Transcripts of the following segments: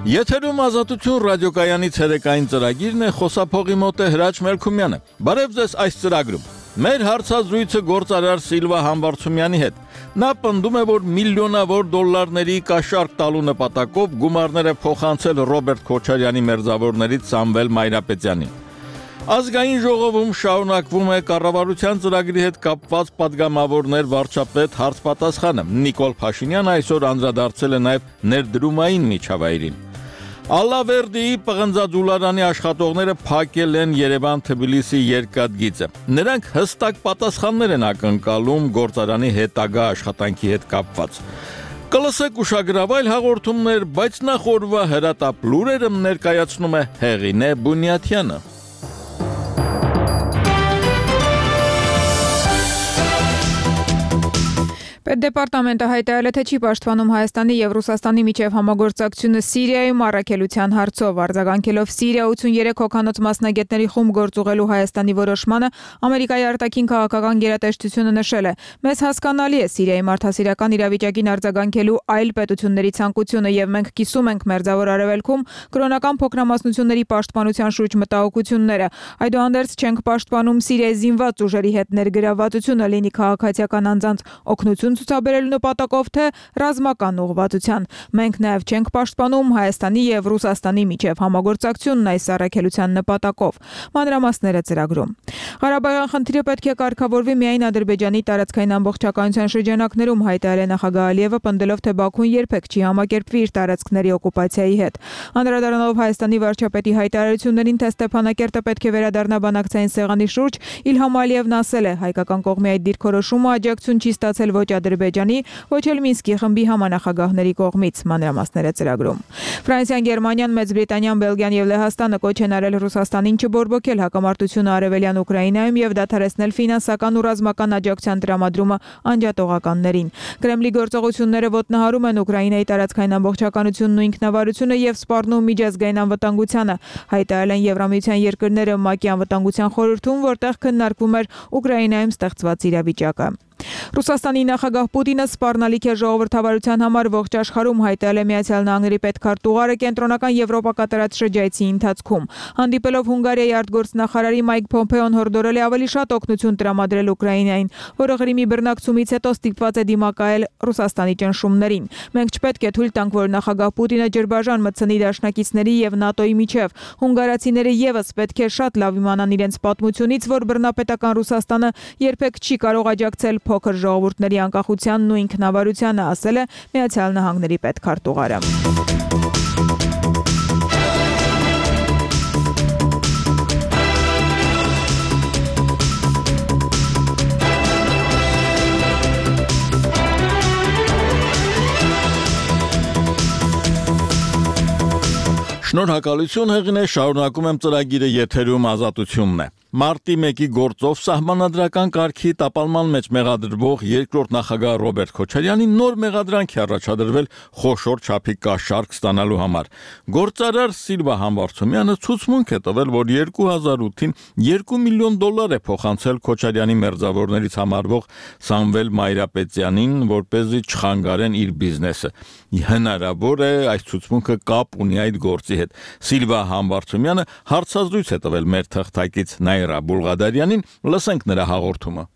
Եթերում ազատություն ռադիոկայանի ցերեկային ծրագիրն է, խոսափողի մոտ է Հրաչ Մելքումյանը։ Բարև ձեզ այս ծրագրում։ Մեր հարցազրույցը գործարար Սիլվա Համբարձումյանի հետ։ Նա պնդում է, որ միլիոնավոր դոլարների կաշառք տալու նպատակով գումարները փոխանցել Ռոբերտ Քոչարյանի մերձավորներից Սամվել Մայրապետյանին։ Ազգային ժողովում շարունակվում է կառավարության ծրագրի հետ կապված падգամավորներ վարչապետ հարց-պատասխանը։ Նիկոլ Փաշինյանը այսօր անդրադարձել է նաև ներդրումային միջավայրին։ Ալավերդիի պղնձաձուլարանի աշխատողները փակել են Երևան-Թբիլիսի երկաթգիծը։ Նրանք հստակ պատասխաններ են ակնկալում գործարանի հետագա աշխատանքի հետ կապված։ Կլսեք ուշագրավայր հաղորդումներ, բայց նախ օրվա հրատապ լուրերը ներկայացնում է Հեղինե Բունյաթյանը։ Պետդեպարտամենտը հայտարարել է, թե չի պաշտպանում Հայաստանի եւ Ռուսաստանի միջև համագործակցությունը Սիրիայում առաքելության հարցով, արձագանքելով Սիրիա 83 հոգանոց մասնագետների խումբ գործուղելու Հայաստանի որոշմանը, Ամերիկայի արտաքին քաղաքական գերատեսչությունը նշել է. «Մեզ հասկանալի է Սիրիայի մարդասիրական իրավիճակին արձագանքելու այլ պետությունների ցանկությունը եւ մենք կիսում ենք Մերձավոր Արևելքում կրոնական փոքրամասնությունների պաշտպանության շուրջ մտահոգությունները։ Այդուհանդերձ չենք պաշտպանում Սիրիայի զինված ուժերի հետ ներգրավվածությունը, լինի քաղաքացիական անձանց օգնություն ցուցաբերելու նպատակով, թե ռազմական ուղղվածության։ Մենք նաև չենք պաշտպանում Հայաստանի եւ Ռուսաստանի միջև համագործակցությունն այս առաքելության նպատակով»։ Մանրամասները ծրագրում։ Ղարաբաղյան խնդիրը պետք է կարգավորվի միայն Ադրբեջանի տարածքային ամբողջականության շրջանակներում, հայտարարել է նախագահ Ալիևը, պնդելով, թե Բաքուն երբեք չի համակերպվի իր տարածքների օկուպացիայի հետ։ Անդրադառնալով Հայաստանի վարչապետի հայտարարություններին, թե Ստեփանակերտը պետք է վերադառնա բանակցային սեղանի շուրջ, Իլհամ Ալիևն ասել է. «Հայկական կողմի այդ դիրքորոշումը աջակցություն չի ստացել ոչ Ադրբեջանի, ոչ էլ Մինսկի խմբի համանախագահների կողմից»։ Մանրամասները ծրագրում։ Ֆրանսիան, Գերմանիան, Մեծ Բրիտանիան, Բելգիան եւ Լեհաստանը կոչ են արել Ռուսաստանին չբորբոքել հակամարտությունը արևելյան Ուկրաինայում եւ դադարեցնել ֆինանսական ու ռազմական աջակցության տրամադրումը անջատողականներին։ Կրեմլի գործողությունները ոտնահարում են Ուկրաինայի տարածքային ամբողջականությունն ու ինքնավարությունը եւ սպառնում միջազգային անվտանգությանը, հայտարարել են Եվրամիության երկրները ՄԱԿ-ի անվտանգության խորհրդում, որտեղ քննարկվում էր Ուկրաինայում ստեղծված իրավիճակը։ Ռուսաստանի նախագահ Պուտինը սպառնալիք է ժողովրդավարության համար ողջ աշխարհում, հայտարարել է Միացյալ Նահանգների պետքարտուղարը կենտրոնական Եվրոպա կատարած շրջայցի ընթացքում։ Հանդիպելով Հունգարիայի արտգործնախարարի Մայք Փոմփեոն հորդորել է ավելի շատ օգնություն տրամադրել Ուկրաինային, որը Ղրիմի բռնակցումից հետո ստիպված է դիմակայել Ռուսաստանի ճնշումներին։ Մենք չպետք է թույլ տանք, որ նախագահ Պուտինը ջրբաժան մտցնի դաշնակիցների եւ ՆԱՏՕ-ի միջև։ Հունգարացիները եւս պետք է շատ լավ իմանան իրենց պատմությունից, որ բռնապետական Ռուսաստանը երբեք չի կարող աջակցել փոքր ժողովուրդների անկախությանն ու ինքնավարությանը, ասել է Միացյալ Նահանգների պետքարտուղարը։ Շնորհակալություն Հեղինե, շարունակում եմ ծրագիրը, եթերում ազատությունն է։ Մարտի 1-ի գործով սահմանադրական կարգի տապալման մեջ մեղադրվող երկրորդ նախագահ Ռոբերտ Քոչարյանի նոր մեղադրանք է առաջադրվել խոշոր չափի կաշառք ստանալու համար։ Գործարար Սիլվա Համբարձումյանը ցուցմունք է տվել, որ 2008-ին $2 միլիոն է փոխանցել Քոչարյանի մերձավորներից համարվող Սամվել Մայրապետյանին, որպեսզի չխանգարեն իր բիզնեսը։ Հնարավոր է այս ցուցմունքը կապ ունի այդ գործի հետ։ Սիլվա Համբարձումյանը հարցազրույց է տվել մեր թղթակից Նայրա Բուլղադարյանին, լսենք նրա հաղորդումը։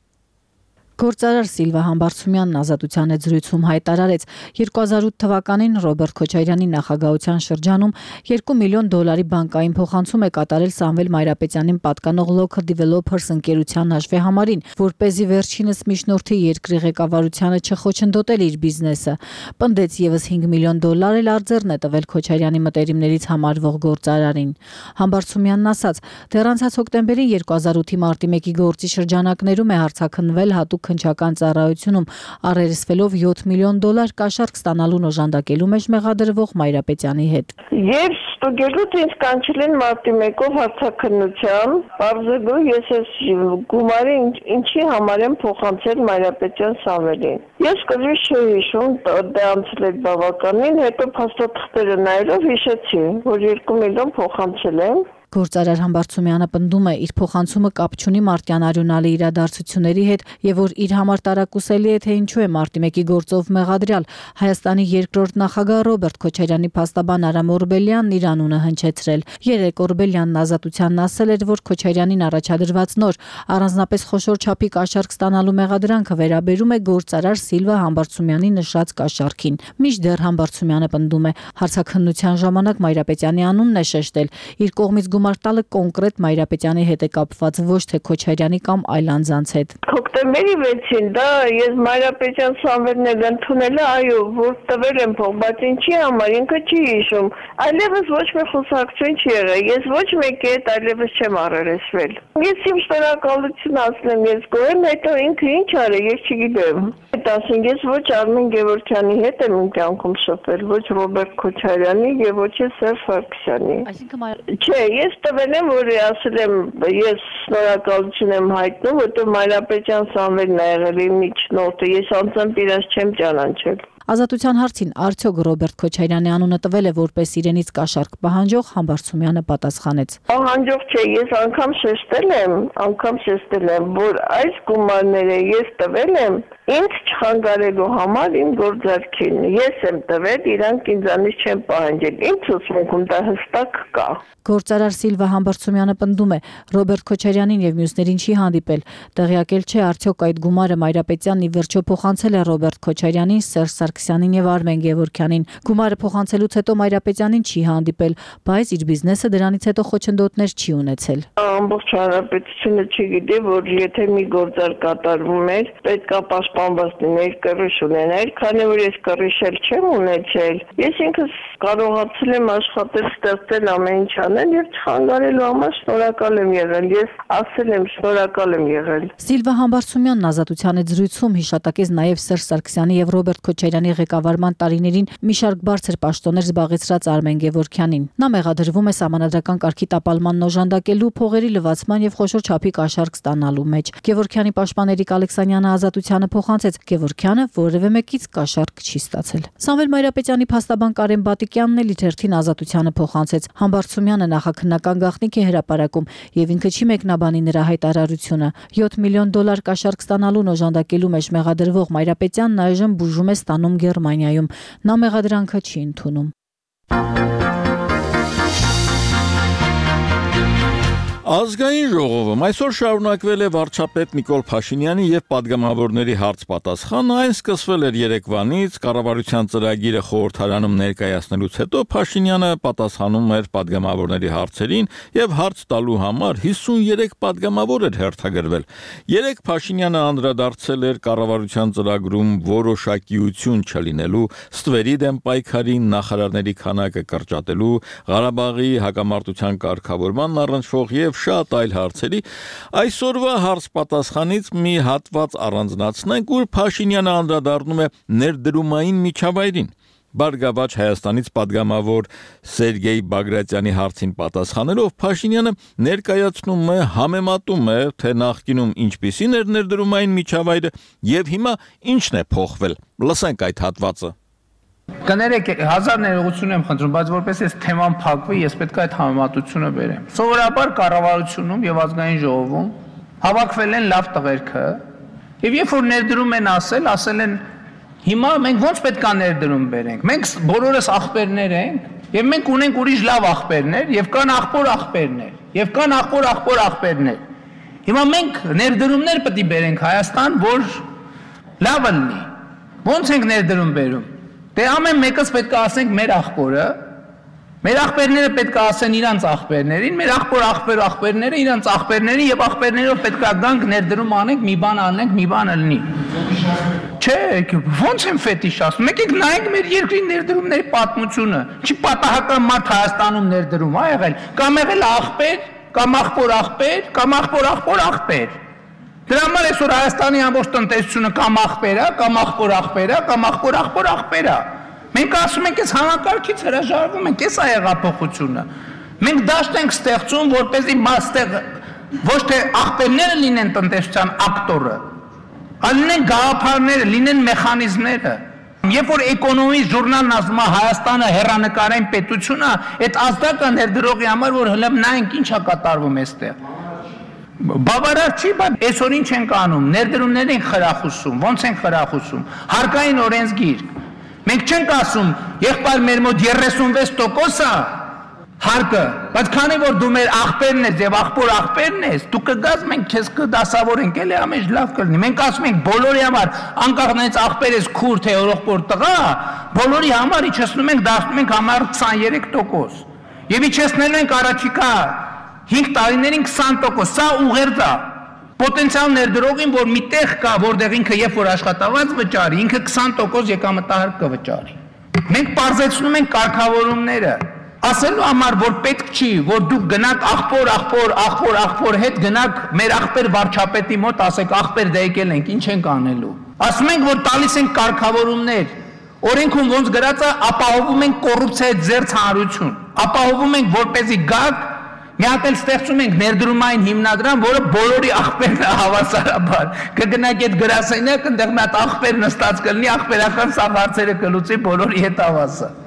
Գործարար Սիլվա Համբարձումյանն Ազատության հետ զրույցում հայտարարեց 2008 թվականին Ռոբերտ Քոչարյանի նախագահության շրջանում $2 միլիոն բանկային փոխանցում է կատարել Սամվել Մայրապետյանին պատկանող Local Developers ընկերության հաշվեհամարին, որպեսզի վերջինս միջնորդի երկրի ղեկավարությանը չխոչընդոտել իր բիզնեսը։ Պնդեց եւս $5 միլիոն էլ արձերն է տվել Քոչարյանի մտերիմներից համարվող գործարարին։ Համբարձումյանն ասաց, դեռ անցած հոկտեմբերին 2008-ի մարտի 1-ի գործի շրջանակներում է հարցաքննվել հատուկ քննչական ծառայությունում, առերեսվելով $7 միլիոն կաշառք ստանալուն օժանդակելու մեջ մեղադրվող Մայրապետյանի հետ։ Եվ ստուգելուց ինձ կանչել են մարտի 1-ով հարցաքննության, բարձրագույն ես այս գումարը ինչի համար եմ փոխանցել Մայրապետյան Սամվելին։ Ես կրի չէի հիշում, դա անցել էր բավականին, հետո փաստաթղթերը նայելով հիշեցի, որ $2 միլիոն փոխանցել եմ։ Գործարար Համբարձումյանը պնդում է, իր փոխանցումը կապ չունի մարտյան արյունալի իրադարձությունների հետ եւ որ իր համար տարակուսելի է, թե ինչու է մարտի 1-ի գործով մեղադրյալ Հայաստանի երկրորդ նախագահ Ռոբերտ Քոչարյանի փաստաբան Արամ Օրբելյանն իր անունը հնչեցրել։ Երեկ Օրբելյանն Ազատությանն ասել էր, որ Քոչարյանին առաջադրված նոր առանձնապես խոշոր չափի կաշառք ստանալու մեղադրանքը վերաբերում է գործարար Սիլվա Համբարձումյանի նշած կաշառքին։ Մինչդեռ Համբարձումյանը պնդում է, հարցաքննության ժամանակ Մայրապետյանի անունն է շեշտել, իր կողմից գումար տալը կոնկրետ Մայրապետյանի հետ է կապված, ոչ թե Քոչարյանի կամ այլ անձանց հետ։ Հոկտեմբերի 6-ին դա ես Մայրապետյան Սամվելն էլ ընդունել է, այո, որ տվել եմ փող, բայց ինչի համար ինքը չի հիշում։ Այլևս ոչ մի խոսակցություն չի եղել։ Ես ոչ մեկի հետ այլևս չեմ առերեսվել։ Ես իմ շնորհակալություն ասեմ, ես գոհ եմ, հետո ինքը ինչ արել, ես չգիտեմ։ Ասենք ես ոչ Արմեն Գևորգյանի հետ եմ իմ կյանքում շփվել, ոչ Ռոբերտ Քոչարյանի եւ ոչ Սերժ Սարգսյանի։ Չէ, ես տվել եմ, որ ասել եմ, ես շնորհակալություն եմ հայտնում, որտեղ Մայրապետյան Սամվելն է եղել իմ միջնորդը, ես անձամբ իրաց չեմ ճանաչել։ Ազատության հարցին արդյոք Ռոբերտ Քոչարյանի անունը տվել է որպես իրենից կաշառք պահանջող, Համբարձումյանը պատասխանեց. Պահանջող չէ, ես անգամ շեշտել եմ, որ այս գումարները ես տվել եմ ինձ չխանգարելու համար իմ գործարքին։ Ես եմ տվել, իրանք ինձանից չեն պահանջել։ Իմ ցուցմունքում դա հստակ կա։ Գործարար Սիլվա Համբարձումյանը պնդում է, Ռոբերտ Քոչարյանին եւ մյուսներին չի հանդիպել, տեղյակել չէ արդյոք այդ գումարը Մայրապետյանն ի վերջո փոխանցել է Ռոբերտ Քոչարյանին, Սերժ Սարգսյանին եւ Արմեն Գևորգյանին։ Գումարը փոխանցելուց հետո Մայրապետյանին չի հանդիպել, բայց իր բիզնեսը դրանից հետո խոչընդոտներ չի ունեցել։ Ամբողջ հանրապետությունը չգիտի, որ եթե մի գործարք կատարվում էր, պետք է պաշտպանված լիներ, կռիչ ունենալ, քանի որ ես կռիչել չեմ ունեցել։ Ես ինքս կարողացել եմ աշխատել, ստեղծել ամեն ինչ անել եւ չխանգարելու համար շնորհակալ եմ եղել։ Ես ասել եմ շնորհակալ եմ եղել։ Սիլվա Համբարձումյանն Ազատության հետ զրույցում հիշատակեց նաեւ Սերժ Սարգսյանի եւ Ռոբերտ Քոչարյանի ղեկավարման տարիներին մի շարք բարձր պաշտոններ զբաղեցրած Արմեն Գևորգյանին։ Նա մեղադրվում է սահմանադրական կարգի տապալմանն օժանդակելու, փողերի լվացման եւ խոշոր չափի կաշառք ստանալու մեջ։ Գևորգյանի պաշտպան Էրիկ Ալեքսանյանը Ազատությանը փոխանցեց, Գևորգյանը որևէ մեկից կաշառք չի ստացել։ Սամվել Մայրապետյանի փաստաբան Կարեն Բատիկյանն էլ իր հերթին Ազատությանը փոխանցեց։ Համբարձումյանը նախաքննական գաղտնիք է հրապարակում եւ ինքը չի մեկնաբանի նրա հայտարարությունը։ $7 միլիոն կաշառք ստանալուն օժանդակելու մեջ մեղադրվող Մայրապետյանն այժմ բուժում է ստանում Գերմանիայում։ Նա մեղադրանքը չի ընդունում։ Ազգային ժողովում այսօր շարունակվել է վարչապետ Նիկոլ Փաշինյանի եւ падգամավորների հարց-պատասխանը, այն սկսվել էր երեկվանից, կառավարության ծրագիրը խորհրդարանում ներկայացնելուց հետո Փաշինյանը պատասխանում էր падգամավորների հարցերին եւ հարց տալու համար 53 падգամավոր էր հերթագրվել։ Երեք Փաշինյանը անդրադարձել էր կառավարության ծրագրում որոշակիություն չլինելու, ստվերի դեմ պայքարի, նախարարների քանակը կրճատելու, Ղարաբաղի հակամարտության կարգավորման առնչվող եւ շատ այլ հարցերի։ Այսօրվա հարց-պատասխանից մի հատված առանձնացնենք, որ Փաշինյանը անդրադառնում է ներդրումային միջավայրին։ Բարգավաճ Հայաստանից падգամավոր Սերգեյ Բագրատյանի հարցին պատասխանելով Փաշինյանը ներկայացնում է, համեմատում է, թե նախկինում ինչպիսին էր ներդրումային միջավայրը եւ հիմա ինչն է փոխվել։ Լսենք այդ հատվածը։ Կներեք, հազար ներողություն եմ խնդրում, բայց որպես այս թեման փակվի, ես պետք է այդ համեմատությունը բերեմ։ Սովորաբար կառավարությունում եւ ազգային ժողովում հավաքվել են լավ տղերքը, եւ երբ որ ներդրում են ասել են հիմա մենք ո՞նց պետք է ներդրում բերենք։ Մենք բոլորս աղբերներ ենք, եւ մենք ունենք ուրիշ լավ աղբերներ, եւ կան աղբոր աղբերներ, եւ կան աղբոր աղբերներ։ Հիմա մենք ներդրումներ պետք է բերենք Հայաստան, որ լավը լինի։ Ո՞նց ենք ներդրում բերում։ Դե ամեն մեկս պետք է ասենք մեր աղբորը, մեր աղբերները պետք է ասեն իրանց աղբերներին, մեր աղբերները իրանց աղբերներին եւ աղբերներով պետք է գանք ներդրում անենք, մի բան անենք, մի բան ըլնի։ Չէ, ո՞նց եմ ֆետիշ ասում։ Եկեք նայենք մեր երկրի ներդրումների պատմությունը։ Չի պատահական մարդ Հայաստանում ներդրում ա եղել, կամ եղել աղբեր, կամ աղբոր, կամ աղբոր։ Դրա համար այսօր Հայաստանի ամբողջ տնտեսությունը կամ աղբեր է, կամ աղբոր, կամ աղբոր։ Մենք ասում ենք, այս համակարգից հրաժարվում ենք, այս է հեղափոխությունը։ Մենք դաշտ ենք ստեղծում, որպեսզի ոչ թե աղբերները լինեն տնտեսության ակտորը, այլ լինեն գաղափարները, լինեն մեխանիզմները։ Երբ որ էկոնոմի ժուրնալն ասում է Հայաստանը հեռանկարային պետություն է, այդ ազդակը ներդրողի համար որ հլը նայենք ինչա կատարվում այստեղ։ Բավարար չի, բայց այսօր ինչ ենք անում, ներդրումներ ենք խրախուսում, ոնց ենք խրախուսում, հարկային օրենսգիր։ Մենք չենք ասում, եղբայր մեր մոտ 36% է հարկը, բայց քանի որ դու մեր աղբերն ես եւ աղբերն ես, դու կգաս մենք քեզ կդասավորենք, էլի ամեն լավ կլինի։ Մենք ասում ենք բոլորի համար, անկախ նայած աղբեր ես քուր թե օրողբոր տղա, բոլորի համար իջեցնում ենք, դարձնում ենք համար 23%։ Եվ իջեցնելու ենք առաջիկա 5 տարիներին 20%, սա ուղերձ է։ Պոտենցիալ ներդրողին, որ մի տեղ կա, որտեղ ինքը երբ որ աշխատավարձ վճարի, ինքը 20% եկամտահարկ կվճարի։ Մենք պարզեցնում ենք կարգավորումները, ասելու համար, որ պետք չի, որ դուք գնաք աղբոր հետ գնաք մեր աղբեր վարչապետի մոտ, ասեք աղբեր դե եկել ենք, ինչ ենք անելու։ Ասում ենք, որ տալիս ենք կարգավորումներ, օրենքում ոնց գրած է, ապահովում ենք կոռուպցիայի ձեռ հանրություն, ապահովում ենք, որպեսզի գաք մի հատ էլ ստեղծում ենք ներդրումային հիմնադրամ, որը բոլորի աղբերն է հավասարաբար։ Կգնաք այդ գրասենյակ, այնտեղ մի հատ աղբեր նստած կլինի, աղբերական սա հարցերը կլուծի բոլորի հետ հավասար։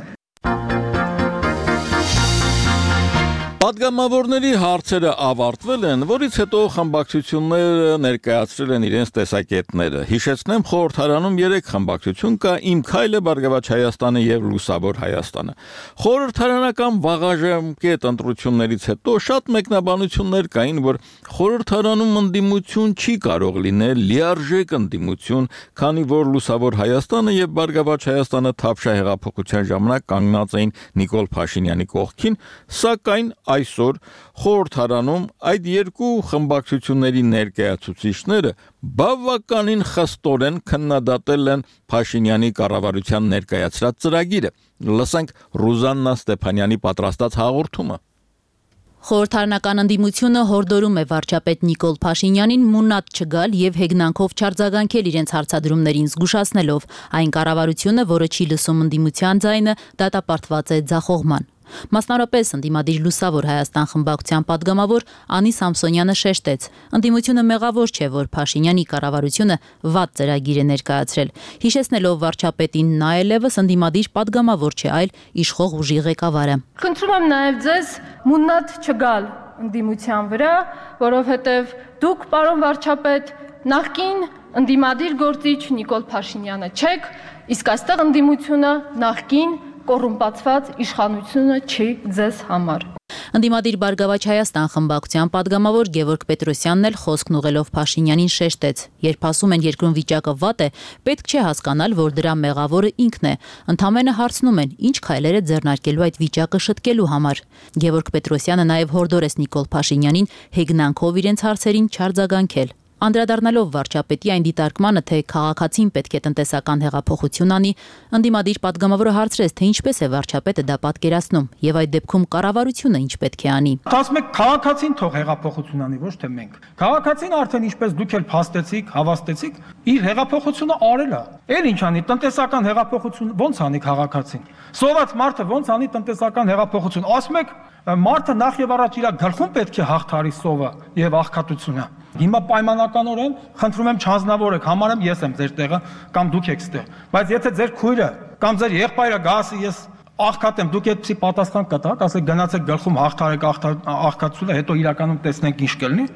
Պատգամավորների հարցերը ավարտվել են, որից հետո խմբակցությունները ներկայացրել են իրենց տեսակետները։ Հիշեցնեմ, խորհրդարանում 3 խմբակցություն կա՝ Իմ քայլը, Բարգավաճ Հայաստանը եւ Լուսավոր Հայաստանը։ Խորհրդարանական վաղաժամկետ ընտրություններից հետո շատ մեկնաբանություններ կային, որ խորհրդարանում ընդդիմություն չի կարող լինել լիարժեք ընդդիմություն, քանի որ Լուսավոր Հայաստանը եւ Բարգավաճ Հայաստանը Թավշյա հեղափոխության ժամանակ կանգնած էին Նիկոլ Փաշինյանի կողքին, սակայն այսօր խորհրդարանում այդ երկու խմբակցությունների ներկայացուցիչները բավականին խստորեն քննադատել են Փաշինյանի կառավարության ներկայացրած ծրագիրը։ Լսենք Ռուզաննա Ստեփանյանի պատրաստած հաղորդումը։ Խորհրդարանական ընդդիմությունը հորդորում է վարչապետ Նիկոլ Փաշինյանին մունատ չգալ եւ հեգնանքով չարձագանքել իրենց հարցադրումներին, զգուշացնելով այն կառավարությունը, որը չի լսում ընդդիմության ձայնը, դատապարտված է ձախողման։ Մասնավորապես ընդդիմադիր Լուսավոր Հայաստան խմբակցության падգամավոր Անի Սամսոնյանը շեշտեց. ընդդիմությունը մեղավոր չէ, որ Փաշինյանի կառավարությունը վատ ծրագիր է ներկայացրել, հիշեցնելով վարչապետին նա ելևս ընդդիմադիր падգամավոր չէ, այլ իշխող ուժի ղեկավարը։ Խնդրում եմ նաև ձեզ մունատ չգալ ընդդիմության վրա, որովհետև դուք, պարոն վարչապետ, նախկին ընդդիմադիր գործիչ Նիկոլ Փաշինյանը չեք, իսկ այստեղ ընդդիմությունը նախկին կոռումպացված իշխանությունը չի ձեզ համար։ Ընդդիմադիր Բարգավաճ Հայաստան խմբակցության падգամավոր Գևորգ Պետրոսյանն էլ խոսքն ուղղելով Փաշինյանին շեշտեց. երբ ասում են երկրում վիճակը վատ է, պետք չէ հասկանալ, որ դրա մեղավորը ինքն է։ Ընդամենը հարցնում են, ինչ քայլեր է ձեռնարկելու այդ վիճակը շտկելու համար։ Գևորգ Պետրոսյանը նաև հորդորեց Նիկոլ Փաշինյանին հեգնանքով իրենց հարցերին չարձագանքել։ Անդրադառնալով վարչապետի այն դիտարկմանը, թե քաղաքացին պետք է տնտեսական հեղափոխություն անի, ընդդիմադիր падգամավորը հարցրեց, թե ինչպես է վարչապետը դա պատկերացնում եւ այդ դեպքում կառավարությունը ինչ պետք է անի։ Ասում եք քաղաքացին թող հեղափոխություն անի, ոչ թե մենք։ Քաղաքացին արդեն ինչպես դուք էլ փաստեցիք, հավաստեցիք, իր հեղափոխությունը արել է։ Էլ ինչ անի, տնտեսական հեղափոխություն ո՞նց անի քաղաքացին։ Սոված մարդը ո՞նց անի տնտեսական հեղափոխություն։ Ասում եք, մարդը նախ եւ առաջ իր գլխում պետք է հաղթարի սովը եւ աղքատությունը։ Հիմա պայմանականորեն խնդրում եմ չանձնավորեք, համարեմ ես եմ ձեր տեղը կամ դուք եք ստեղ։ Բայց եթե ձեր քույրը կամ ձեր եղբայրը գա ասի ես աղքատ եմ, դուք այդպեսի պատասխան կտաք, ասեք գնացեք գլխում հաղթարեք աղքատությունը, հետո իրականում տեսնենք ինչ կլինի։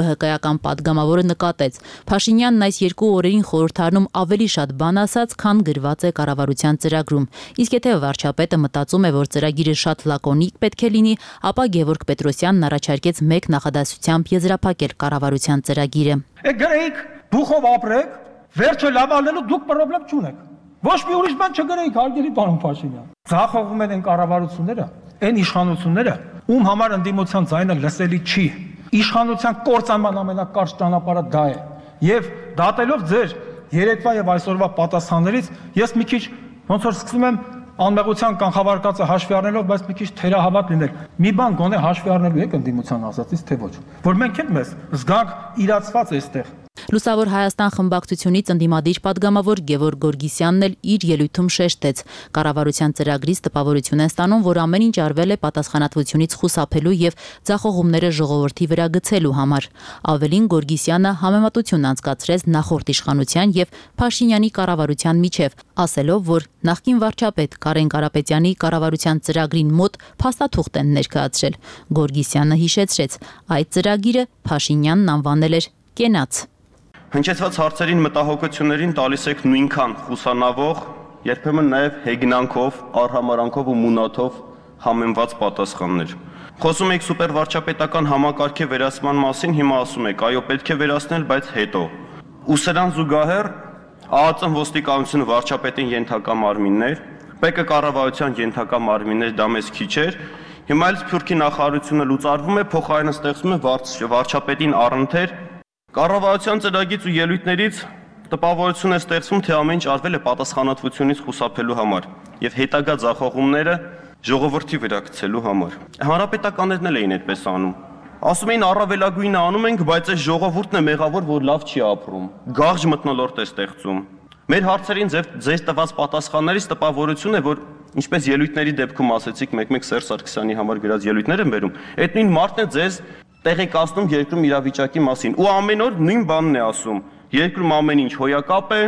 ԲՀԿ-ական падգամավորը նկատեց. Փաշինյանն այս երկու օրերին խորհրդարանում ավելի շատ բան ասաց, քան գրված է կառավարության ծրագրում։ Իսկ եթե վարչապետը մտածում է, որ ծրագիրը շատ լակոնիկ պետք է լինի, ապա Գևորգ Պետրոսյանն առաջարկեց մեկ նախադասությամբ եզրափակել կառավարության ծրագիրը։ Գրեիք, բուխով ապրեք, վերջը լավալելու դուք պրոբլեմ չունեք։ Ոչ մի ուրիշ բան չգրեիք, հարգելի պարոն Փաշինյան։ Ձախողում են կառավարությունները, այն իշխանությունները, ում համար ընդդիմության ձայնը լսելի չի։ Իշխանության կործանման ամենակարճ ճանապարհը դա է։ Եվ դատելով ձեր երեկվա եւ այսօրվա պատասխաններից, ես մի քիչ ոնց որ սկսում եմ անմեղության կանխավարկածը հաշվի առնելով, բայց մի քիչ թերահավատ լինել։ Մի բան գոնե հաշվի առնելու եք ընդդիմության ասածից, թե ոչ։ Որ մենք էլ մեզ զգանք իրացված այստեղ։ Լուսավոր Հայաստան խմբակցությունից ընդդիմադիր падգամավոր Գևորգ Գորգիսյանն էլ իր ելույթում շեշտեց. կառավարության ծրագրից տպավորություն են ստանում, որ ամեն ինչ արվել է պատասխանատվությունից խուսափելու եւ ձախողումները ժողովրդի վրա գցելու համար։ Ավելին Գորգիսյանը համեմատություն անցկացրեց նախորդ իշխանության եւ Փաշինյանի կառավարության միջև, ասելով, որ նախկին վարչապետ Կարեն Կարապետյանի կառավարության ծրագրին մոտ փաստաթուղթ են ներկայացրել։ Գորգիսյանը հիշեցրեց, այդ ծրագիրը Փաշինյանն անվանել էր կենաց։ Հնչեցված հարցերին մտահոգություններին տալիս եք նույնքան խուսանավող, երբեմն նաև հեգնանքով, արհամարանքով ու մունաթով համեմված պատասխաններ։ Խոսում եք սուպերվարչապետական համակարգի վերացման մասին, հիմա ասում եք, այո, պետք է վերացնել, բայց հետո։ Ու սրան զուգահեռ ԱԱԾ ոստիկանությունը վարչապետին ենթակա մարմիններ, ՊԿ կառավարության ենթակա մարմիններ, դա մեզ քիչ էր։ Հիմա էլ Սփյուռքի նախարարությունը լուծարվում է, փոխարենը ստեղծվում է վարչապետին առընթեր։ Կառավարության ծրագից ու ելույթներից տպավորություն է ստեղծվում, թե ամեն ինչ արվել է պատասխանատվությունից խուսափելու համար եւ հետագա ձախողումները ժողովրդի վրա գցելու համար։ Հանրապետականներն էլ էին այդպես անում։ Ասում էին առավելագույնը անում ենք, բայց այս ժողովուրդն է մեղավոր, որ լավ չի ապրում։ Գաղջ մթնոլորտ է ստեղծում։ Մեր հարցերին ձեզ տված պատասխաններից տպավորություն է, որ ինչպես ելույթների դեպքում ասեցիք, մեկ-մեկ Սերժ Սարգսյանի համար գրած ելույթներ են բերում, այդ նույն մարդն է ձեզ տեղեկացնում երկրում իրավիճակի մասին ու ամեն օր նույն բանն է ասում։ Երկրում ամեն ինչ հոյակապ է,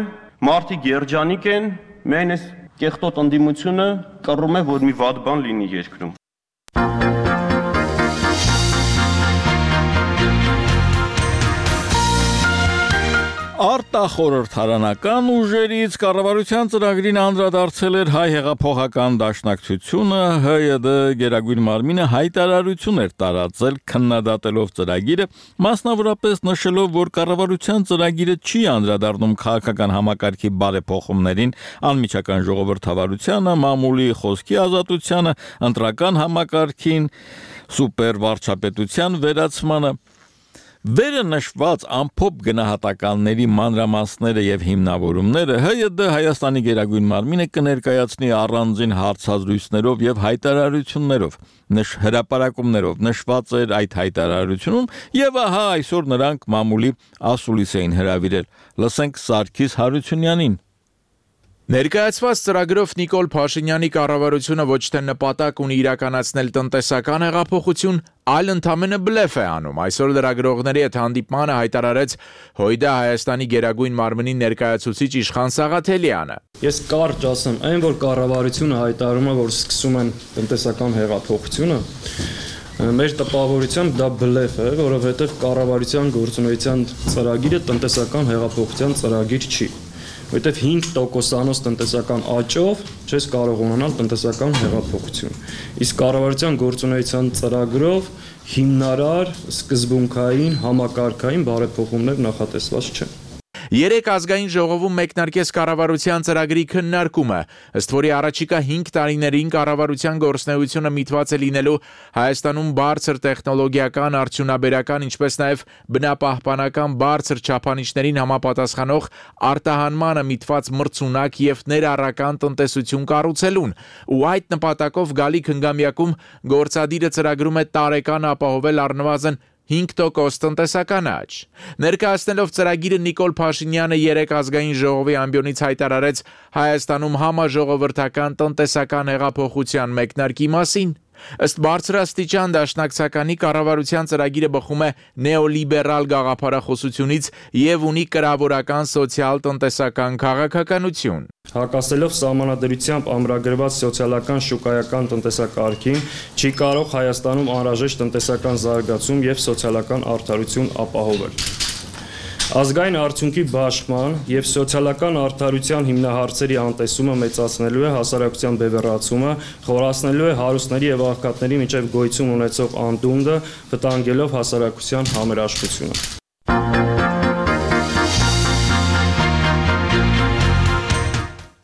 մարդիկ երջանիկ են, միայն այս կեղտոտ ընդդիմությունը կռում է, որ մի վատ բան լինի երկրում։ Արտախորհրդարանական ուժերից կառավարության ծրագրին անդրադարձել էր հայ հեղափոխական դաշնակցությունը, ՀՅԴ Գերագույն մարմինը հայտարարություն էր տարածել քննադատելով ծրագիրը, մասնավորապես նշելով, որ կառավարության ծրագիրը չի անդրադառնում քաղաքական համակարգի բարեփոխումներին, անմիջական ժողովրդավարությանը, մամուլի խոսքի ազատությանը, ընտրական համակարգին, սուպերվարչապետության վերացմանը։ Վերը նշված ամփոփ գնահատականների մանրամասները եւ հիմնավորումները ՀՅԴ Հայաստանի Գերագույն մարմինը կներկայացնի առանձին հարցազրույցներով եւ հայտարարություններով, հրապարակումներով նշված էր այդ հայտարարությունում եւ ահա այսօր նրանք մամուլի ասուլիս էին հրավիրել։ Լսենք Սարգիս Հարությունյանին։ Ներկայացված ծրագրով Նիկոլ Փաշինյանի կառավարությունը ոչ թե նպատակ ունի իրականացնել տնտեսական հեղափոխություն, այլ ընդամենը բլեֆ է անում։ Այսօր լրագրողների հետ հանդիպմանը հայտարարեց ՀՅԴ Հայաստանի Գերագույն մարմնի ներկայացուցիչ Իշխան Սաղաթելյանը։ Ես կարճ ասեմ, այն որ կառավարությունը հայտարարում է, որ սկսում են տնտեսական հեղափոխությունը, մեր տպավորությամբ դա բլեֆ է, որովհետև կառավարության գործունեության ծրագիրը տնտեսական հեղափոխության ծրագիր չի։ Որտեվ 5%-անոց տնտեսական աճով չես կարող ունենալ տնտեսական հեղափոխություն։ Իսկ կառավարության գործունեության ծրագրով հիմնարար, սկզբունքային, համակարգային բարեփոխումներ նախատեսված չեն։ Երեք ազգային ժողովում մեկնարկեց կառավարության ծրագրի քննարկումը, ըստ որի առաջիկա 5 տարիներին կառավարության գործունեությունը միտված է լինելու Հայաստանում բարձր տեխնոլոգիական, արդյունաբերական, ինչպես նաև բնապահպանական բարձր չափանիշներին համապատասխանող արտահանմանը միտված մրցունակ եւ ներառական տնտեսություն կառուցելուն, ու այդ նպատակով գալիք հնգամյակում գործադիրը ծրագրում է տարեկան ապահովել առնվազն 5% տնտեսական աճ։ Ներկայացնելով ծրագիրը Նիկոլ Փաշինյանը երեք ազգային ժողովի ամբիոնից հայտարարեց Հայաստանում համաժողովրդական տնտեսական հեղափոխության մեկնարկի մասին։ Ըստ բարձրաստիճան դաշնակցականի կառավարության ծրագիրը բխում է նեոլիբերալ գաղափարախոսությունից եւ ունի կրավորական սոցիալ-տնտեսական քաղաքականություն։ Հակասելով սահմանադրությամբ ամրագրված սոցիալական շուկայական տնտեսակարգին, չի կարող Հայաստանում անհրաժեշտ տնտեսական զարգացում եւ սոցիալական արդարություն ապահովել։ Ազգային արդյունքի բաշխման եւ սոցիալական արդարության հիմնահարցերի անտեսումը մեծացնելու է հասարակության բևեռացումը, խորացնելու է հարուստների եւ աղքատների միջև գոյություն ունեցող անդունդը, վտանգելով հասարակության համերաշխությունը։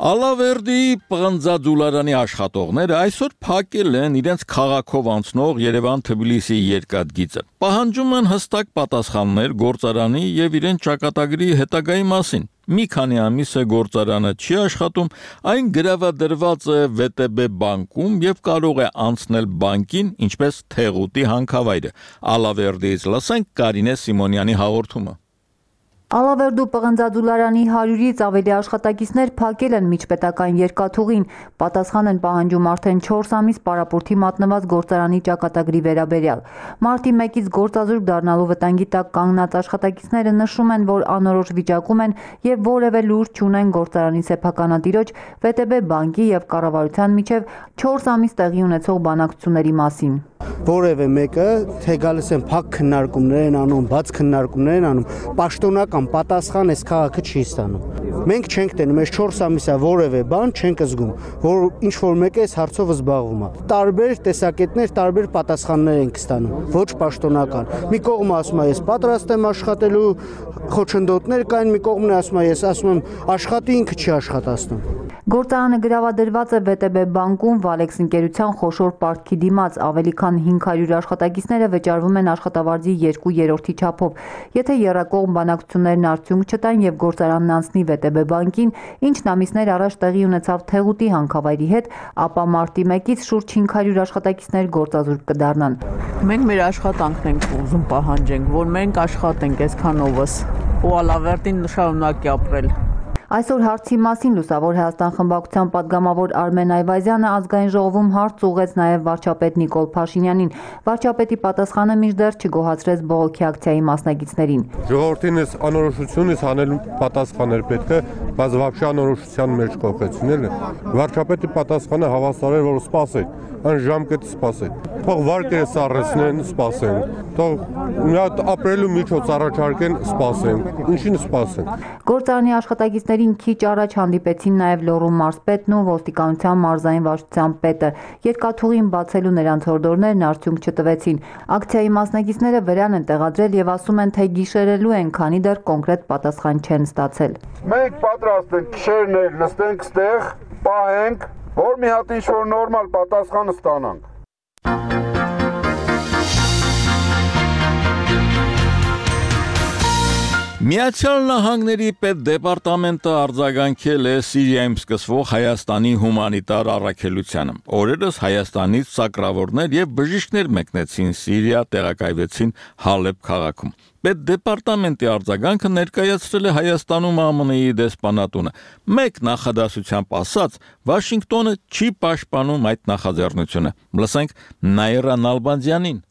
Ալավերդի պղնձադուլարանի աշխատողները այսօր փակել են իրենց քաղաքով անցնող Երևան-Թբիլիսի երկաթգիծը։ Պահանջում են հստակ պատասխաններ գործարանի եւ իրենց ճակատագրի հետագայի մասին։ Մի քանի ամիս է գործարանը չի աշխատում, այն գրավադրված է ՎՏԲ բանկում եւ կարող է անցնել բանկին, ինչպես Թեղուտի հանքավայրը։ Ալավերդից լսենք Կարինե Սիմոնյանի հաղորդումը։ Ալավերդու պղնձաձուլարանի 100-ից ավելի աշխատակիցներ փակել են միջպետական երկաթուղին, պատասխան են պահանջում արդեն 4 ամիս պարապուրդի մատնված գործարանի ճակատագրի վերաբերյալ։ Մարտի 1-ից գործազուրկ դառնալու վտանգի տակ կանգնած աշխատակիցները նշում են, որ անորոշ վիճակում են եւ որևէ լուր չունեն գործարանի սեփականատիրոջ, ՎՏԲ բանկի եւ կառավարության միջև 4 ամիս տեղի ունեցող բանակցությունների մասին։ Որևէ մեկը թե գալիս են փակ քննարկումներ են անում, բաց քննարկումներ են անում, պաշտոնական պատասխան այս քաղաքը չի ստանում։ Մենք չենք տենում, այս 4 ամիսա որևէ բան չենք զգում, որ ինչ որ մեկը այս հարցով զբաղվում է։ Տարբեր տեսակետներ, տարբեր պատասխաններ ենք ստանում, ոչ պաշտոնական։ Մի կողմը ասում է ես պատրաստ եմ աշխատելու, խոչընդոտներ կային, մի կողմն ասում է ես ասում եմ աշխատի, ինքը չի աշխատացնում։ Գործարանը գրավադրված է ՎՏԲ բանկում Վալեքս ընկերության խոշոր պարտքի դիմաց, ավելի քան 500 աշխատակիցները վճարվում են աշխատավարձի 2/3 չափով։ Եթե եռակողմ բանակցություններն արդյունք չտան եւ գործարանն անցնի ՎՏԲ բանկին, ինչն ամիսներ առաջ տեղի ունեցավ Թեղուտի հանքավայրի հետ, ապա մարտի 1-ից շուրջ 500 աշխատակիցներ գործազուրկ կդառնան։ Մենք մեր աշխատանքն ենք ուզում պահանջենք, որ մենք աշխատենք այսքանովս ու Ալավերդին շարունակի ապրել։ Այսօր հարցի մասին Լուսավոր Հայաստան խմբակցության падգամավոր Արմեն Այվազյանը ազգային ժողովում հարց ուղղեց նաև վարչապետ Նիկոլ Փաշինյանին։ Վարչապետի պատասխանը մինչդեռ չգոհացրեց բողոքի ակցիայի մասնակիցներին։ Ժողովրդին այս անորոշությունից հանելու պատասխաներ պետք է, բայց вообще անորոշության մեջ կողեցնել։ Վարչապետի պատասխանը հավասար էր, որ սպասեք, այն ժամկետը սպասեք։ Թող վարկերը սառեցնեն, սպասեն։ Թող մի հատ ապրելու միջոց առաջարկեն, սպասեն։ Ինչին սպասեն։ Գործարանի աշխատակիցներին քիչ առաջ հանդիպեցին նաև Լոռու մարզպետն ու ոստիկանության մարզային վարչության պետը։ Երկաթուղին բացելու նրանց հորդորներն արդյունք չտվեցին։ Ակցիայի մասնակիցները վրան են տեղադրել եւ ասում են, թե գիշերելու են, քանի դեռ կոնկրետ պատասխան չեն ստացել։ Մենք պատրաստ ենք գիշերներ նստենք ստեղ, պահենք, որ մի հատ ինչ-որ նորմալ պատասխան ստանանք։ Միացյալ Նահանգների պետդեպարտամենտը արձագանքել է Սիրիայում սկսվող Հայաստանի հումանիտար առաքելությանը։ Օրերս Հայաստանից սակրավորներ եւ բժիշկներ մեկնեցին Սիրիա, տեղակայվեցին Հալեբ քաղաքում։ Պետդեպարտամենտի արձագանքը ներկայացրել է Հայաստանում ԱՄՆ-ի դեսպանատունը։ Մեկ նախադասությամբ ասած, Վաշինգտոնը չի պաշտպանում այդ նախաձեռնությունը։ Լսենք Նաիրա Նալբանդյանին։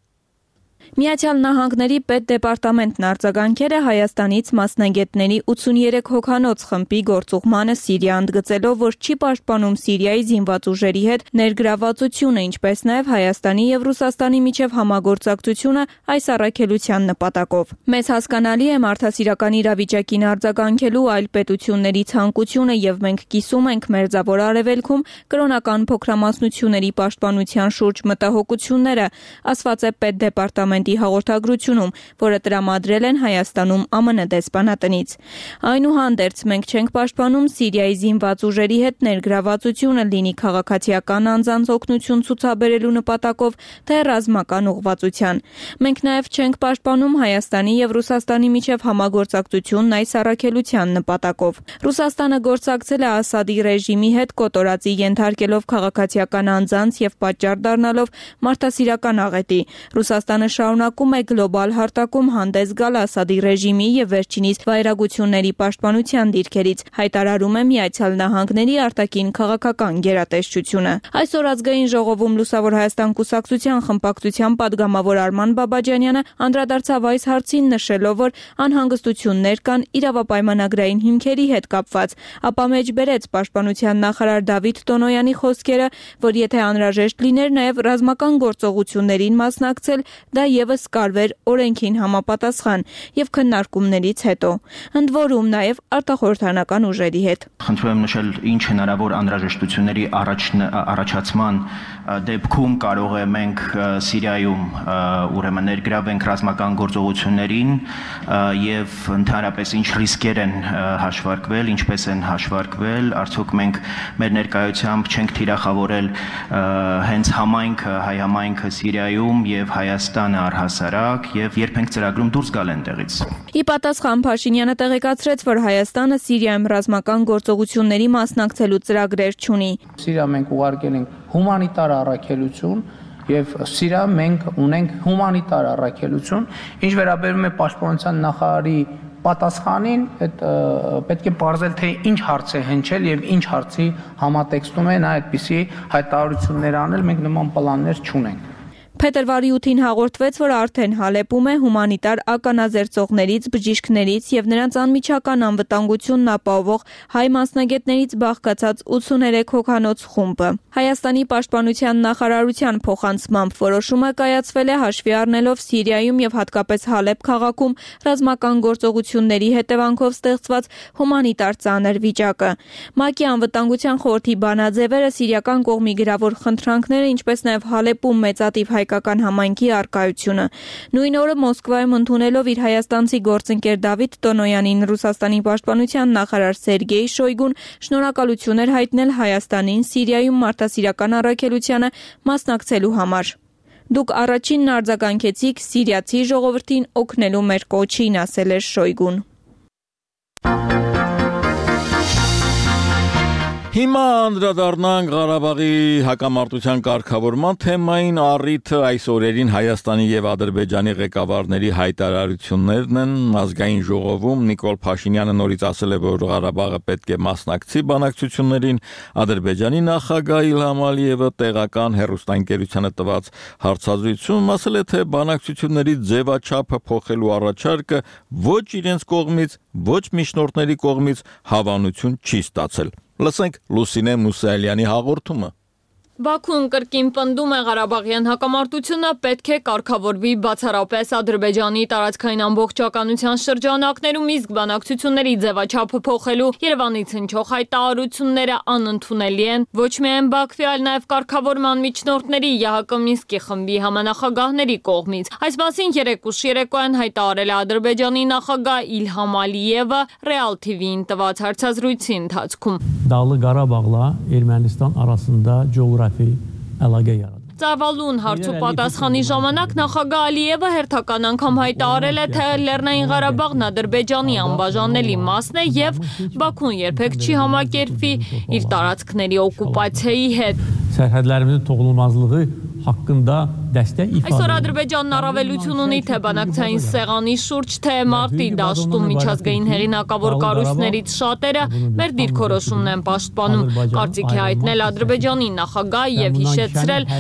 Միացյալ Նահանգների պետդեպարտամենտն արձագանքել է Հայաստանից մասնագետների 83 հոգանոց խմբի գործուղմանը Սիրիա, ընդգծելով, որ չի պաշտպանում Սիրիայի զինված ուժերի հետ ներգրավվածությունը, ինչպես նաև Հայաստանի եւ Ռուսաստանի միջև համագործակցությունը այս առաքելության նպատակով։ Մեզ հասկանալի է մարդասիրական իրավիճակին արձագանքելու այլ պետությունների ցանկությունը եւ մենք կիսում ենք Մերձավոր Արևելքում կրոնական փոքրամասնությունների պաշտպանության շուրջ մտահոգությունները, ասված է պետդեպարտամենտի հաղորդագրությունում, որը տրամադրել են Հայաստանում ԱՄՆ դեսպանատնից։ Այնուհանդերձ մենք չենք պաշտպանում Սիրիայի զինված ուժերի հետ ներգրավվածությունը, լինի քաղաքացիական անձանց օգնություն ցուցաբերելու նպատակով, թե ռազմական ուղղվածության։ Մենք նաև չենք պաշտպանում Հայաստանի եւ Ռուսաստանի միջև համագործակցությունն այս առաքելության նպատակով։ Ռուսաստանը գործակցել է Ասադի ռեժիմի հետ կոտորածի ենթարկելով քաղաքացիական անձանց եւ պատճառ դառնալով մարդասիրական աղետի։ Ռուսաստանը շարունակում է գլոբալ հարտակում հանդես գալ Ասադի ռեժիմի եւ վերջինիս վայրագությունների պաշտպանության դիրքերից, հայտարարում է Միացյալ Նահանգների արտաքին քաղաքական գերատեսչությունը։ Այսօր ազգային ժողովում Լուսավոր Հայաստան կուսակցության խմբակցության падգամավոր Արման Բաբաջանյանը անդրադարձավ այս հարցին, նշելով, որ անհանգստություններ կան իրավապայմանագրային հիմքերի հետ կապված, ապա մեջբերեց պաշտպանության նախարար Դավիթ Տոնոյանի խոսքերը, որ եթե անհրաժեշտ լիներ նաև ռազմական գործողություններին մասնակցել, դա եւս կարվեր օրենքին համապատասխան եւ քննարկումներից հետո, ընդ որում նաեւ արտախորհրդանական ուժերի հետ։ Խնդրում եմ նշել, ինչ հնարավոր անհրաժեշտությունների առաջացման դեպքում կարող է մենք Սիրիայում ուրեմն ներգրավենք ռազմական գործողություններին եւ ընդհանրապես ինչ ռիսկեր են հաշվարկվել, ինչպես են հաշվարկվել, արդյոք մենք մեր ներկայությամբ չենք թիրախավորել հենց համայնքը, հայ համայնքը Սիրիայում եւ Հայաստանը առհասարակ եւ երբ ենք ծրագրում դուրս գալ այնտեղից։ Ի պատասխան Փաշինյանը տեղեկացրեց, որ Հայաստանը Սիրիայում ռազմական գործողությունների մասնակցելու ծրագրեր չունի։ Սիրիա մենք ուղարկել ենք հումանիտար առաքելություն եւ Սիրիա մենք ունենք հումանիտար առաքելություն, ինչ վերաբերում է պաշտպանության նախարարի պատասխանին այդ պետք է բարձել թե ինչ հարց է հնչել եւ ինչ հարցի համատեքստում է նա այդպիսի հայտարարություններ անել, մենք նման պլաններ չունենք։ Փետրվարի 8-ին հաղորդվեց, որ արդեն Հալեպում է հումանիտար ականազերծողներից, բժիշկներից եւ նրանց անմիջական անվտանգությունն ապահովող հայ մասնագետներից բաղկացած 83 հոգանոց խումբը։ Հայաստանի պաշտպանության նախարարության փոխանցմամբ որոշումը կայացվել է հաշվի առնելով Սիրիայում եւ հատկապես Հալեպ քաղաքում ռազմական գործողությունների հետևանքով ստեղծված հումանիտար ծանր վիճակը։ ՄԱԿ-ի անվտանգության խորհրդի բանաձևերը սիրիական կողմի գրավոր խնդրանքները, ինչպես նաեւ Հալեպում մեծատիվ հայկական համայնքի արկայությունը։ Նույն օրը Մոսկվայում ընդունելով իր հայաստանցի գործընկեր Դավիթ Տոնոյանին Ռուսաստանի պաշտպանության նախարար Սերգեյ Շոյգուն շնորհակալություն էր հայտնել Հայաստանին Սիրիայում մարդասիրական առաքելությանը մասնակցելու համար։ Դուք առաջինն արձագանքեցիք սիրիացի ժողովրդին օգնելու մեր կոչին, ասել էր Շոյգուն։ Հիմա անդրադառնանք Ղարաբաղի հակամարտության կարգավորման թեմային, առիթը այս օրերին Հայաստանի եւ Ադրբեջանի ղեկավարների հայտարարություններն են։ Ազգային ժողովում Նիկոլ Փաշինյանը նորից ասել է, որ Ղարաբաղը պետք է մասնակցի բանակցություններին, Ադրբեջանի նախագահ Իլհամ Ալիևը տեղական հեռուստաընկերությանը տված հարցազրույցում ասել է, թե բանակցությունների ձևաչափը փոխելու առաջարկը ոչ իրենց կողմից, ոչ միջնորդների կողմից հավանություն չի ստացել։ Լսենք Լուսինե Մուսայելյանի հաղորդումը։ Բաքուն կրկին պնդում է Ղարաբաղյան հակամարտությունը պետք է կարգավորվի բացառապես Ադրբեջանի տարածքային ամբողջականության շրջանակներում, իսկ բանակցությունների ձևաչափը փոխելու Երևանից հնչող հայտարարությունները անընդունելի են ոչ միայն Բաքվի, այլ նաև կարգավորման միջնորդների ԵՀԿ Մինսկի խմբի համանախագահների կողմից։ Այս մասին երեկուշ երեկոյան հայտարարել է Ադրբեջանի նախագահ Իլհամ Ալիևը Real TV-ին տված հարցազրույցի ընթացքում։ Dağlı Qarabağla Ermənistan arasında coğrafi əlaqə yaradılır. Ծավալուն հարցու պատասխանի ժամանակ նախագահ Ալիևը հերթական անգամ հայտարարել է, թե Լեռնային Ղարաբաղն Ադրբեջանի անբաժանելի մասն է եւ Բաքուն երբեք չի համակերպվի իր տարածքների օկուպացիայի հետ։ Sərhədlərimizin toxunulmazlığı haqqında dəstək ifadə. Այսօր Ադրբեջանն առավելություն ունի թե բանակցային սեղանի շուրջ, թե մարտի դաշտում միջազգային հեղինակավոր կառույցներից շատերը մեր դիրքորոշումն են պաշտպանում։ Կարծիք է հայտնել Ադրբեջանի նախագահ եւ հիշեցրել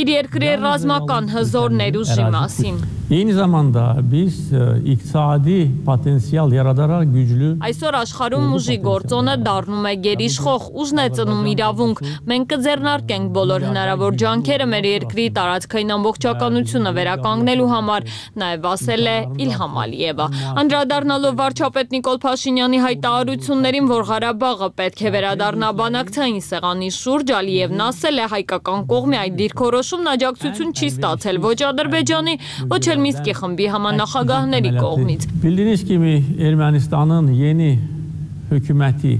իր երկրի ռազմական հզոր ներուժի մասին։ Eyni zamanda biz iqtisadi potensial yaradaraq güclü Այսօր աշխարհում ուժի գործոնը դառնում է գերիշխող, ուժն է ծնում իրավունք։ Մենք կձեռնարկենք բոլոր հնարավոր ջանքերը մեր երկրի տարածքային ամբողջականությունը վերականգնելու համար, նաև ասել է Իլհամ Ալիևը։ Անդրադառնալով վարչապետ Նիկոլ Փաշինյանի հայտարարություններին, որ Ղարաբաղը պետք է վերադառնա բանակցային սեղանի շուրջ, Ալիևն ասել է հայկական կողմի այդ դիրքորոշումն աջակցություն չի ստացել ոչ Ադրբեջանի, ոչ էլ Մինսկի խմբի համանախագահների կողմից։ Bildiyiniz kimi Ermənistanın yeni hökuməti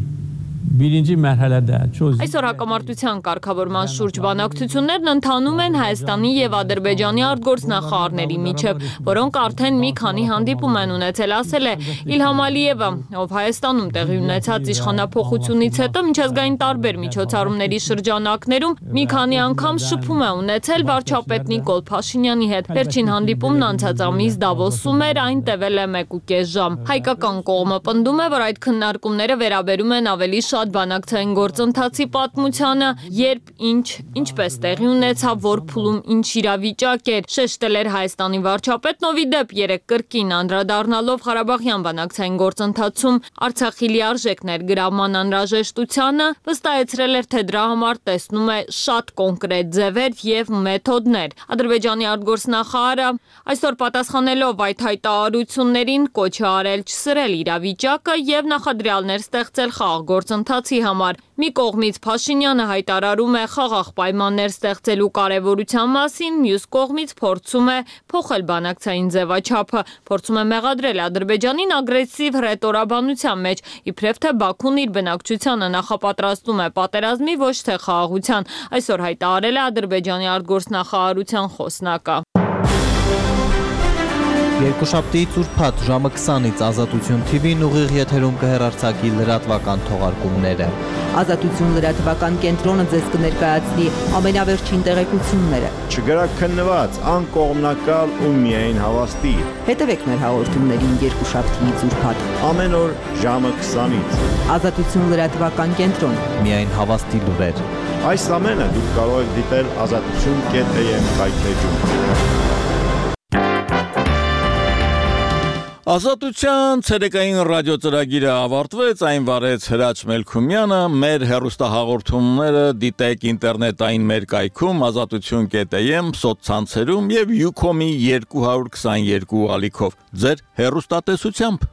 birinci mərhələdə Այսօր հակամարտության կարգավորման շուրջ բանակցություններն ընթանում են Հայաստանի եւ Ադրբեջանի արտգործնախարարների միջև, որոնք արդեն մի քանի հանդիպում են ունեցել, ասել է Իլհամ Ալիևը, ով Հայաստանում տեղի ունեցած իշխանափոխությունից հետո միջազգային տարբեր միջոցառումների շրջանակներում մի քանի անգամ շփում է ունեցել վարչապետ Նիկոլ Փաշինյանի հետ։ Վերջին հանդիպումն անցած ամիս Դավոսում էր, այն տևել է 1.5 ժամ։ Հայկական կողմը պնդում է, որ այդ քննարկումները վերաբերում են ավելի շատ բանակցային գործընթացի պատմությանը, երբ ինչպես տեղի ունեցավ, որ փուլում ինչ իրավիճակ էր, շեշտել էր Հայաստանի վարչապետն, ով ի դեպ երեկ կրկին անդրադառնալով Ղարաբաղյան բանակցային գործընթացում Արցախի լիարժեք ներգրավման անհրաժեշտությանը, վստահեցրել էր, թե դրա համար տեսնում է շատ կոնկրետ ձևեր եւ մեթոդներ։ Ադրբեջանի արտգործնախարարը այսօր պատասխանելով այդ հայտարարություններին կոչ է արել չսրել իրավիճակը եւ նախադրյալներ ստեղծել խաղաղ գործընթացի համար։ Մի կողմից Փաշինյանը հայտարարում է խաղաղ պայմաններ ստեղծելու կարևորության մասին, մյուս կողմից փորձում է փոխել բանակցային ձևաչափը, փորձում է մեղադրել Ադրբեջանին ագրեսիվ հռետորաբանության մեջ, իբրև թե Բաքուն իր բնակչությանը նախապատրաստում է պատերազմի, ոչ թե խաղաղության, այսօր հայտարարել է Ադրբեջանի արտգործնախարարության խոսնակը։ Երկուշաբթիից ուրբաթ ժամը 20-ից Ազատություն TV-ն ուղիղ եթերում կհեռարձակի լրատվական թողարկումները։ Ազատություն լրատվական կենտրոնը ձեզ կներկայացնի ամենավերջին տեղեկությունները։ Չգրաքննված, անկողմնակալ ու միայն հավաստի։ Հետևեք մեր հաղորդումներին երկուշաբթիից ուրբաթ ամեն օր ժամը 20-ից։ Ազատություն լրատվական կենտրոն։ Միայն հավաստի լուրեր։ Այս ամենը դուք կարող եք դիտել azatutun.am վայթեջում։ Ազատության ցերեկային ռադիոծրագիրը ավարտվեց, այն վարեց Հրաչ Մելքումյանը, մեր հեռուստահաղորդումները դիտեք ինտերնետային մեր կայքում azatutun.am սոցցանցերում եւ Ucom-ի 222 ալիքով ձեր հեռուստատեսությամբ